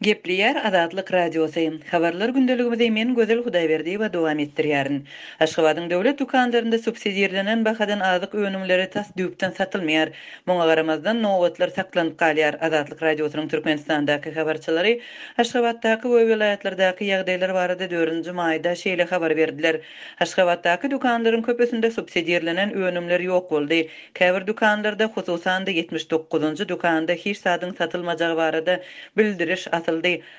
Gepleýär Azatlyk Radiosy. Habarlar gündeligimizi men Gözel Hudaýberdiýewa dowam etdirýärin. Aşgabadyň döwlet dükanlarynda subsidirlenen bahadan azyk önümleri tas düýpden satylmaýar. Muňa garamazdan, nobatlar saklanyp galýar. Azatlyk Radiosynyň Türkmenistandaky habarçylary Aşgabatdaky we welaýatlardaky ýagdaýlar barada dördünji maýda şeýle habar berdiler. Aşgabatdaky dükanlaryň köpüsinde subsidirlenen önümler ýok boldy. Käbir dükanlarda, hususan-da, 79-njy dükanda hiç zadyň satylmajagy barada bildiriş asyldy.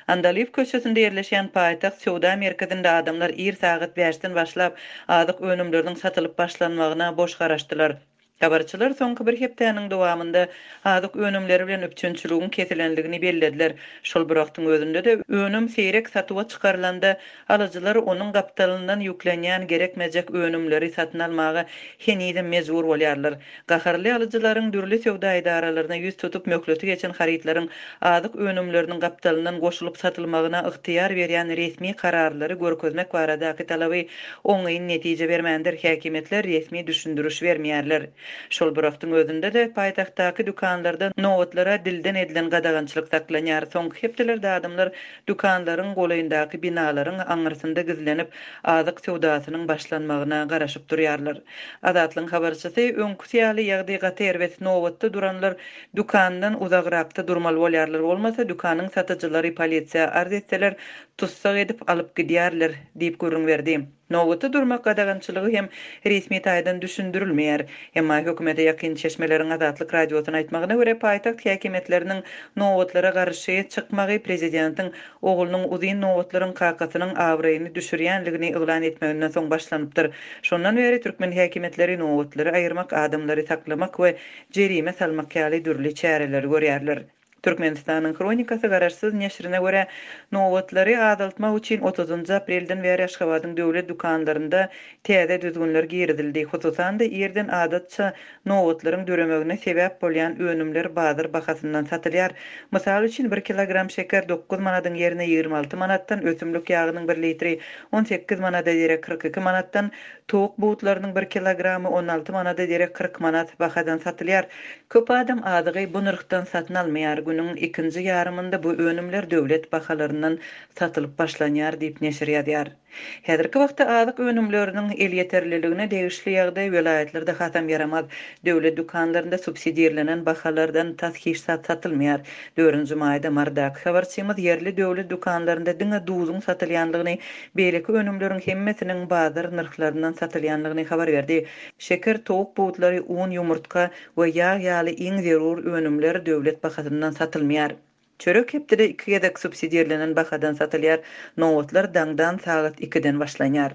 Andalyp köçesinde ýerleşýän Paýtagt söwda merkezinde adamlar ir sagat bäşden başlap, azyk önümleriniň satylyp başlanmagyna boş garaşdylar. Habarçylar soňky bir hepdäniň dowamynda azyk önümleri bilen üpjünçiligiň kesilendigini bellediler. Şol bir wagtyň özünde-de, önüm seýrek satuwa çykarylanda, Alyjylar onuň gapdalyndan ýüklenýän gerekmejek önümleri satyn almaga henizem mejbur bolýarlar. Gaharly alyjylaryň dürli söwda edaralaryna ýüz tutup, möhleti geçen harytlaryň azyk önümleriniň gapdalyndan goşulyp satylmagyna ygtyýar berýän resmi kararlary görkezmek baradaky talaby oňyn netije bermändir, häkimiýetler resmi düşündiriş bermeýärler. Şol bir wagtyň özünde-de, paýtagtdaky dükanlarda nobatlara dilden edilen gadagançylyk saklanýar. Soňky hepdelerde adamlar Dükanlaryň golaýyndaky binalaryň aňyrsynda gizlenip, azyk söwdasynyň başlanmagyna garaşyp durýarlar. Azatlygyň habarçysy, öňküsi ýaly ýagdaý gaty erbet, nobatda duranlar dükandan uzagrakda durmaly bolýarlar, bolmasa dükanyň satyjylary polisiýa arz etseler, tussag edip alyp gidýärler diýip gürrüň berdi. Nobata durmak gadagançylygy hem resmi taýdan düşündirilmeýär. Emma hökümete ýakyn çeşmeleriň Azatlyk Radiosyna aýtmagyna görä, paýtagt häkimiýetleriniň nobatlara garşy çykmagy prezidentiň oglunyň uzyn nobatlaryň kakasynyň abraýyny düşürýänligini yglan etmeginden soň başlanypdyr. Şondan bäri türkmen häkimiýetleri nobatlary aýyrmak, adamlary saklamak we jerime salmak ýaly dürli çäreleri görýärler. Türkmenistanyň Hronikasy garaşsyz neşirine görä, nobatlary azaltmak üçin otuzynjy aprelden bäri Aşgabadyň döwlet dükanlarynda täze düzgünler girizildi. Hususan-da, irden adatça nobatlaryň döremegine sebäp bolýan önümler bazar bahasyndan satylýar. Mysal üçin, bir kilogram şeker dokuz manadyň ýerine 26 manatdan, ösümlik ýagynyň bir litri 18 manada derek 42 manatdan, towuk butlarynyň bir kilogramy 16 manada derek 40 manat bahadan satylýar. Köp adam azygy bu nyrhdan satyn almaýar, günüň ikinji ýarymynda bu önümler döwlet bahalaryndan satylyp başlanýar diýip, neşir ýazýar. Häzirki wagtda azyk önümleriniň elýeterliligine degişli ýagdaý welaýatlarda hasam ýaramaz. Döwlet dükanlarynda subsidirlenen bahalardan tas hiç zat satylmaýar. Dördünji maýda Marydaky habarçymyz ýerli döwlet dükanlarynda diňe duzuň satylýandygyny, beýleki önümleriň hemmesiniň bazar nyrhlaryndan satylýandygyny habar berdi. Şeker, towuk butlary, un, ýumurtga we ýag ýaly iň zerur önümler döwlet bahasyndan satylmaýar. Çörek hepdede iki gezek subsidirlenen bahadan satylýar, nobatlar daňdan sagat ikiden başlanýar.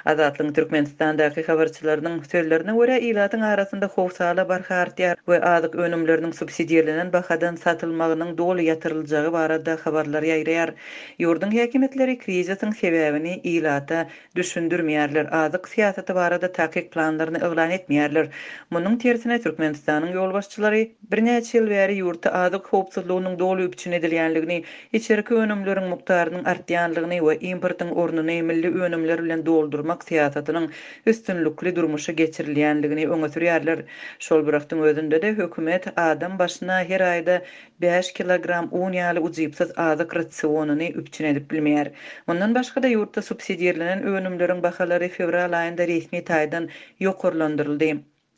Azatlygyň Türkmenistandaky habarçylarynyň sözlerine görä, ilatyň arasynda howsala barha artýar we azyk önümleriniň subsidirlenen bahadan satylmagynyň doly ýatyryljagy barada habarlar ýaýraýar. Ýurduň häkimiýetleri krizisiň sebäbini ilata düşündirmeýärler, azyk syýasaty barada takyk planlaryny yglan etmeýärler. Munuň tersine, Türkmenistanyň ýolbaşçylary birnäçe ýyl bäri ýurtda azyk howpsuzlygynyň doly üpjün edilýänligini, içerki önümleriň mukdarynyň artýanlygyny we importyň ornuny milli önümler bilen doldurmak syýasatynyň üstünlikli durmuşa geçirilýänligini öňe sürýärler. Şol bir wagtyň özünde-de, hökümet adam başyna her aýda bäş kilogram un ýaly ujypsyz azyk rasionyny üpjün edip bilmeýär. Mundan başga-da, ýurtda subsidirlenen önümleriň bahalary fewral aýynda resmi taýdan ýokarlandyryldy.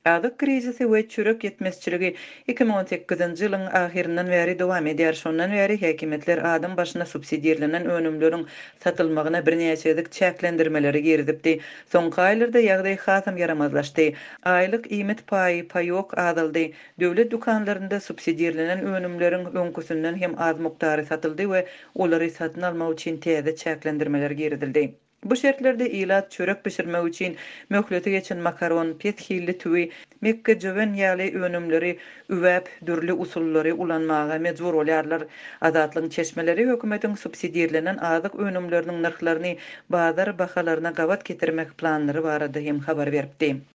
Azyk krizisi we çörek ýetmezçiligi 2018-nji ýylyň ahyryndan bäri dowam edýär. Şondan bäri häkimiýetler adam başyna subsidirlenen önümleriň satylmagyna birnäçe gezek çäklendirmeleri girizipdi. Soňky aýlarda ýagdaý hasam ýaramazlaşdy. Aýlyk iýmit paýy, paýok, azaldy. Döwlet dükanlarynda subsidirlenen önümleriň öňküsinden hem az mukdary satyldy we olary satyn almak üçin täze çäklendirmeler girizildi. Bu şertlerde ilat çörek bişirmek üçin möhleti geçen makaron, pes hilli tüwi, mekgejöwen ýaly önümleri üwäp, dürli usullary ulanmaga mejbur bolýarlar. Azatlygyň çeşmeleri hökümetiň subsidirlenen azyk önümleriniň nyrhlaryny bazar bahalaryna gabat getirmek planlary barada hem habar beripdi.